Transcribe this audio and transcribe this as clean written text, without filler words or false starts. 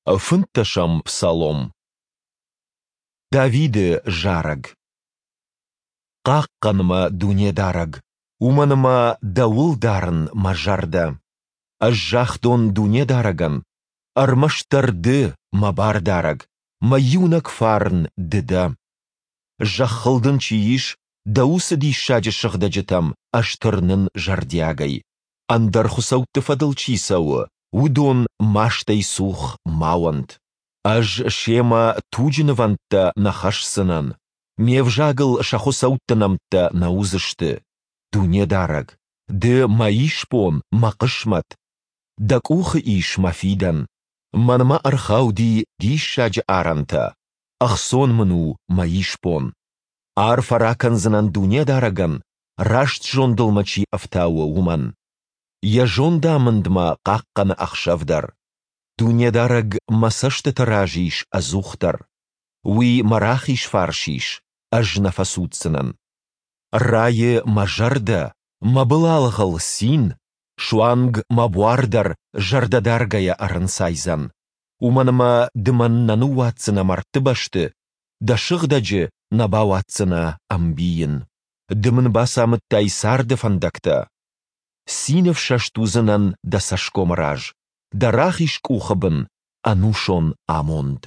Фынддӕсӕм псалом. Давиды зарӕг. Хъахъхъӕн мӕ, Дунедарӕг, уымӕн ӕмӕ Дӕуыл дарын мӕ зӕрдӕ. Ӕз загътон Дунедарӕгӕн: Ӕрмӕстдӕр Ды, мӕ Бардарӕг, мӕ иунӕг фарн Ды дӕ. Зӕххыл дын чи ис, дӕ уыцы диссаджы сыгъдӕджытӕм ӕз тырнын зӕрдиагӕй. Ӕндӕр хуыцӕутты фӕдыл чи цӕуы, уыдон мастӕй цух ма уӕнт. Ӕз семӕ туджы нывӕндтӕ нӕ хӕсдзынӕн, ме взагыл сӕ хуыцӕутты нӕмттӕ нӕ уыдзысты. Дунедарӕг, Ды мӕ исбон, мӕ хъысмӕт, Дӕ къухы ис мӕ фидӕн. Мӕнмӕ ӕрхауди диссаджы арӕнтӕ, ӕхцон мын у мӕ исбон. Арфӕ ракӕндзынӕн Дунедарӕгӕн, раст зондыл мӕ чи ӕфтауы, уымӕн. Йӕ зондамынд мӕ хъахъхъӕны ӕхсӕв дӕр. Дунедарӕг мӕ цӕстыты раз ис ӕдзухдӕр. Уый мӕ рахиз фарс ис, ӕз нӕ фӕцуддзынӕн. Райы мӕ зӕрдӕ, мӕ былалгъыл цин, суанг мӕ буар дӕр зӕрдӕдаргӕйӕ ӕрынцайдзӕн. Уымӕн ӕмӕ ды мӕн нӕ ныууадздзынӕ мӕрдты бӕсты, дӕ сыгъдӕджы нӕ бауадздзынӕ ӕмбийын. Ды мын бацамыдтай царды фӕндӕгтӕ. Цины фсӕст уыдзынӕн дӕ цӕсгомы раз, дӕ рахиз къухы бын ӕнусон амонд.